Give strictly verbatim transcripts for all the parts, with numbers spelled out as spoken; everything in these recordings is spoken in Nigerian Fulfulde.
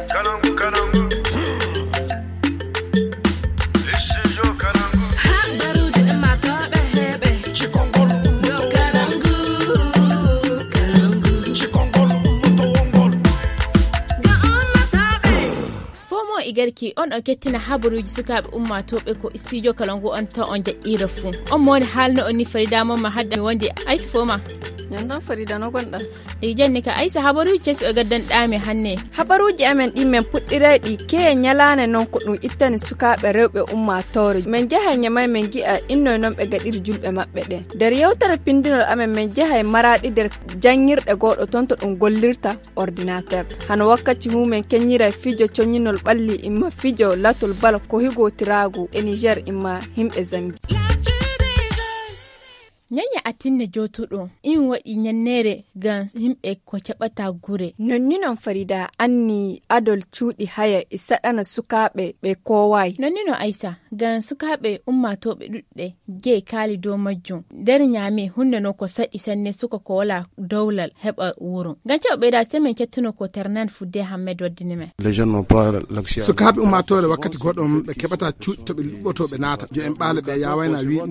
Kalangu, Kalangu. Igarki on o kettina habaruji sukaɓe ummatoɓe ko studio Kalangu on ta on jaɓɓira fu on moni halno on ni Farida mamma hadda mi wonde Aisha foma yandan Farida no gonɗa e janni ka Aisha habaruji kesi o gaddan ɗame hanne habaruji amen ɗi men puɗɗirayɗi ke nyalane non ko ɗum ittani sukaɓe rewɓe ummatore men jahay nyamay men gi'a inno non ɓe gaɗiri julɓe maɓɓe ɗen nder yewtere pindinol amen men jahay maraɗi nder jangirɗe goɗo ton to ɗum gollirta ordinateur hano wakkati mumen kenyira fijo coñinol ɓalli imma fijo latol bal ko higotiragu e Niger imma himɓe Zambi. Nyanya atinne jotuɗo in waɗi nyannere gan himɓe ko caɓata gure. Nonni non Farida anni adol cuuɗi haya e saɗana sukaɓe ɓe kowai. Nonni no Aisa gan sukaɓe ummatoɓe ɗuɗɗe ge kaali dow majjum nder nyame hunde no ko saɗi sanne suka ko wala dowlal heɓa wuro. Gan cewa ɓeyda semen kettuno ko Ternan Fudde Hammed waddini men. Sukaɓe ummatore wakkati goɗɗo ɓe keɓata cuuɗi to ɓe luɓoto ɓe naata jo en ɓaale ɓe yawayna wi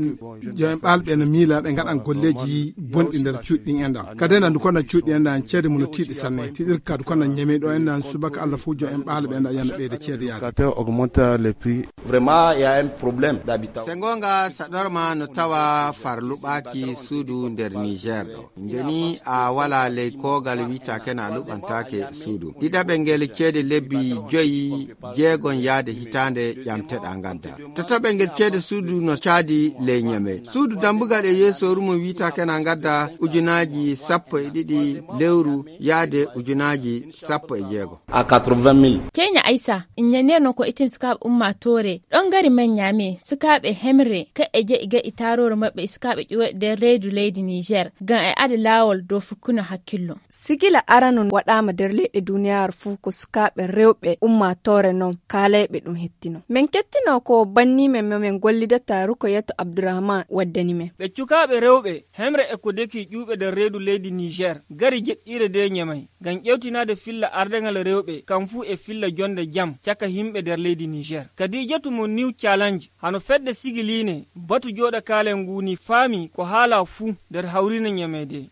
jo en ɓaale ɓe no miila ɓe gaɗan golleji bonɗi nder cuuɗi enda kadi enda ndu kono cuuɗi enda ceede mum no tiiɗi sanne tiiɗir ka du kono ñeme ɗo enda subaka Allah fu jo en ɓaale ɓe enda yana ɓeyde ceede yaade vraiment il y a un problème d'habitation sengonga saɗorma no tawa farluɓaki suudu nder Niger ɗo ndeni a wala ley kogal wita kena luɓantake suudu ɗiɗaɓe ngel ceede lebbi joyi jeegon yaade hitande ƴamteɗa gadda tataɓe ngel ceede suudu no caadi ley ñeme suudu dambugal e yeeso rumo wita kena gadda ujunaji sappo e ɗiɗi lewru yaade ujunaji sappo e jeego à quatre-vingt mille. Kenya Aisa inyanerno ko itin sukaɓe ummatore ɗon gari men nyame sukaɓe hemre ka e je iga itarore mabɓe sukaɓe ƴuwaɗe reedu leydi Niger gan e ada lawol dow fukkuno hakkillo. Sigila aranon waɗama nder leyɗe duniyaaru fuu ko sukaɓe rewɓe ummatore non kalayɓe ɗum hettino men kettino ko banni men men gollidata Rukoyatu Abdurrahman waddani men ɓe cukaɓe rewɓe hemre e ko deki ƴuɓe nder reedu leydi Niger gari jeɗɗire de nyamay gan ƴewtinade filla ardengal rewɓe kam fuu e filla jonde jam caka himɓe nder leydi Niger kadi jetu mo new challenge hano fedde sigiline batu joɗa kalen nguni faami ko haala fuu nder hawrina nyamede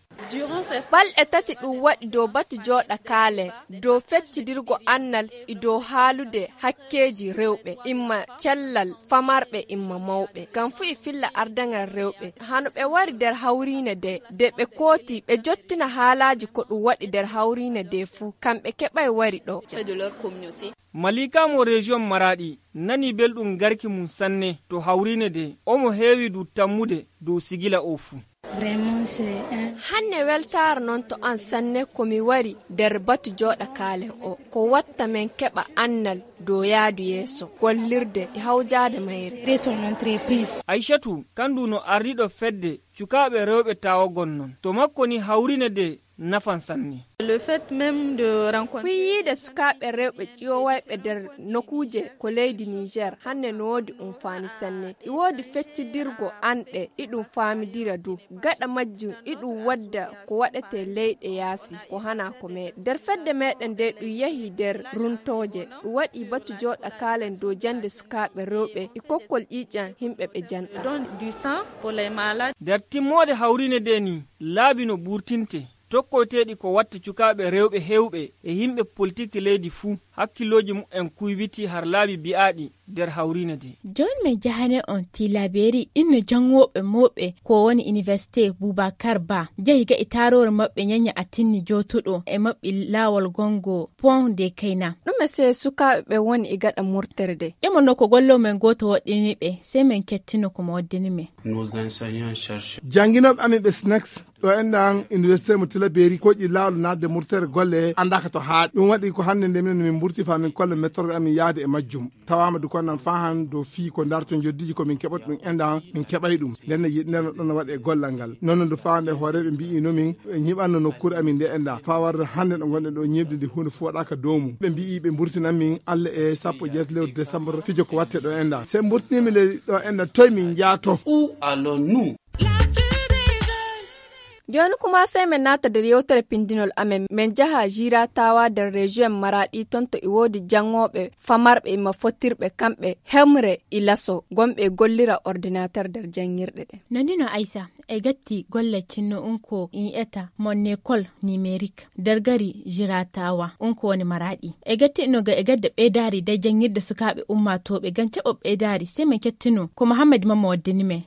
balɗe tati ɗum waɗi dow batu joɗa kaale dow feccidirgo annal e dow haalude hakkeji rewɓe imma cellal famarɓe imma mawɓe ngam fu e filla ardangal rewɓe hano ɓe wari nder hawrine de de ɓe kooti ɓe jottina haalaji ko ɗum waɗi nder hawrine de fuu kamɓe keɓay wari ɗo Malika mo région Maradi nani belɗum garki mum sanne to hawrine de omo heewi du tammude dow sigila o fuu hanne weltare non to an sanne komi wari nder batu joɗa kaalen o ko watta men keɓa annal dow yaadu yeeso gollirde e hawjade mayre Aishatu kandu no ardiɗo fedde cukaɓe rewɓe tawagon non to makko ni hawrine de nafan sanne le fait même de rencontrer fiide sukaɓe rewɓe ƴiyowayɓe nder nokuje ko leydi Niger hanne no wodi um fani sanne i wodi feccidirgo anɗe iɗum famidira du gaɗa majjum iɗum wadda ko waɗete leyɗe yaasi ko hana ko meɗen nder fedde meɗen de ɗum yahi nder runtoje ɗum waɗi batu joɗa kalen dow jande sukaɓe rewɓe e kokkol ƴiƴan himɓe ɓe janɗa don du sang pour les malades nder timmode hawrine de ni laabi no ɓurtinte tokkoteɗi ko watta cukaɓe rewɓe hewɓe e yimɓe politique leydi fuu hakkiloji mumen kuybiti har laabi bi'aɗi nder hawrine de jon me jahane on tilaberi inne jangoɓe moɓe ko woni université Boubacar Ba jahi ga itarore mabɓe nyanya atinni jotuɗo e mabɓi lawol gongo pont de Kayna ɗume se sukaɓe ɓe woni e gaɗa murterde ƴemono ko gollo men goto waɗini ɓe sey men kettino ko mo waddini men nos enseignants cherchent janginoɓe amin ɓe snex ɗo enɗan université mo tilaberi koƴi lawol nadde murtere golle andaka to haaɗi ɗum waɗi ko hande nde minen min murti fa min kolle méthode amin yaade e majjum tawama du konnan fahan do fi ko darto joddiji ko min keɓat ɗum enɗan min keɓay ɗum nden yiɗneno ɗon no waɗe e gollal ngal noon ndu fawande hooreɓe mbi nomin ɓe ñiɓanno nokkure amin nde enɗa fa warde hande ɗo gonɗen ɗo ñibde nde hunde fu waɗaka dow mum ɓe mbi ɓe burtinan min Allah e sappo jeeto lewru décembre fijo ko watte ɗo enɗa se burtinimi le ɗo enɗa toye min jaato où allons-nous? joni kuma sai men nata da yewtere pindinol amen men jaha jira tawa da region maradi tonto iwodi jangobe famarbe ma fotirbe kambe hemre ilaso gombe gollira ordinateur der jangirde de nandino aisa e gatti gollecinno unko in eta monne kol numerique dargari jira tawa unko woni maradi e gatti no ga e gadda be dari da jangirde sukabe umma tobe gance be dari sai men kettino ko muhammad mamma waddini me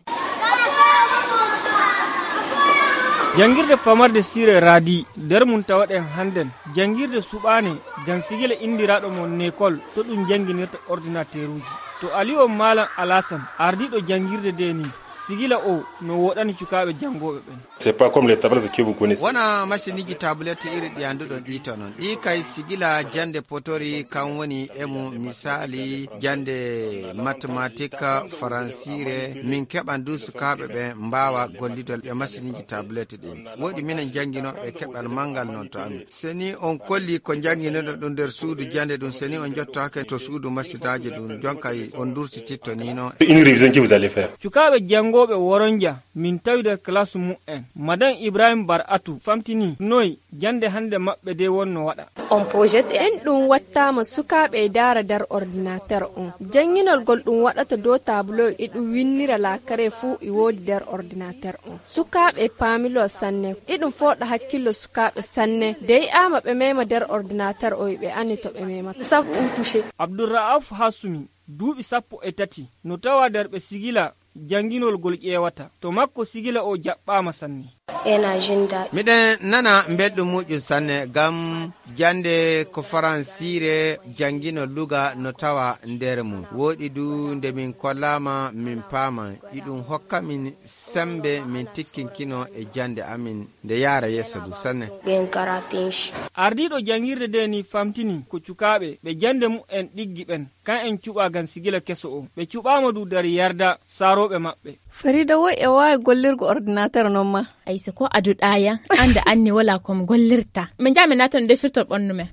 jangirde famarde sire radi der mun tawaden handen jangirde subane gan sigila indiraɗo mon nekol to ɗum janginirta ordinateur uji to aliyo malam alasan ardiɗo jangirde de ni sigila o no woɗani cukaɓe jangoɓe ɓen. C'est pas comme les tablettes que vous connaissez. Wana masiniji tablette iri ɗi anduɗon ɗi to non ɗi kay sigila jande potori kan woni emu misali jande mathématique faransire min keɓan du sukaɓe ɓe mbawa gollidol e masiniji tablette ɗin woɗi minen jangguinoɓe keɓal mangal non to amin seni on kolli ko jangguinoɗo ɗum nder suudu jande ɗum seni on jottake to suudu masinaji ɗum jonkay on dursititto ni non. Une révision que vous allez faire. Cukaɓe jangoɓe woronja min tawi der classe mu'en madan ibrahim bar'atu famtini noy jande hande mabbe de wonno wada on projet en dum wattama sukabe dara dar ordinateur on janginol gol dum wadata do tableau e dum winnira la kare fu e wodi der ordinateur on sukabe pamilo sanne e dum foda hakkilo sukabe sanne dey ama be mema der ordinateur o be anni to be mema sabu touché abdurraaf hasumi duubi sappo e tati no tawa der be sigila janginol gol ƴewata to makko sigila o jaɓɓama sanne ena jinda miɗen nana mbeɗɗum muƴum sanne gam jande ko faransire jangino luga no tawa nder mum woɗi du nde min kollama min paama iɗum hokka min sembe min tikkinkino e jande amin nde yaara yesso du sanne gen karatinch ardiɗo jangirde de ni famtini ko cukaɓe ɓe jande mu'en ɗiggi ɓen kan en cuɓa gan sigila keso o ɓe cuɓama du dari yarda saroɓe maɓɓe. Farida wo e wawi gollirgo ordinateur non ma aysa ko aduɗaya anda anni wala kom gollirta min jami naton defirtol ɓonnu men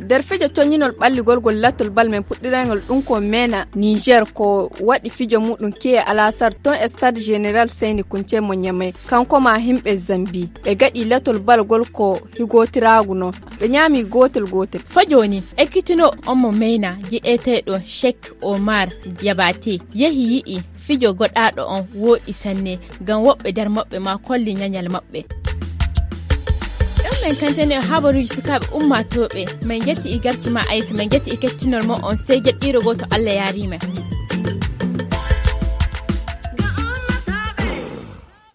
der fijo toñinol ɓalligol gol lattol bal men puɗɗirangol ɗum ko mena Niger ko waɗi fijo muɗum ke alasar ton stade général Seyni Kunce mo Nyamai kanko ma himɓe Zambi ɓe gaɗi lattol bal gol ko higotiragu no ɓe ñami gotel gotel fajoni ekkitino on mo mena gi'eteɗo Sheikh Omar Diabate yehi yi'i fijo goɗaɗo on woɗi sanne gam woɓɓe nder maɓɓe ma kolli nyanyal maɓɓe men kantene habaruji sukaɓe ummatoɓe min jetti i garki ma aysa min jetti i kettinol mo on sey jeɗɗiro goto Allah yarima.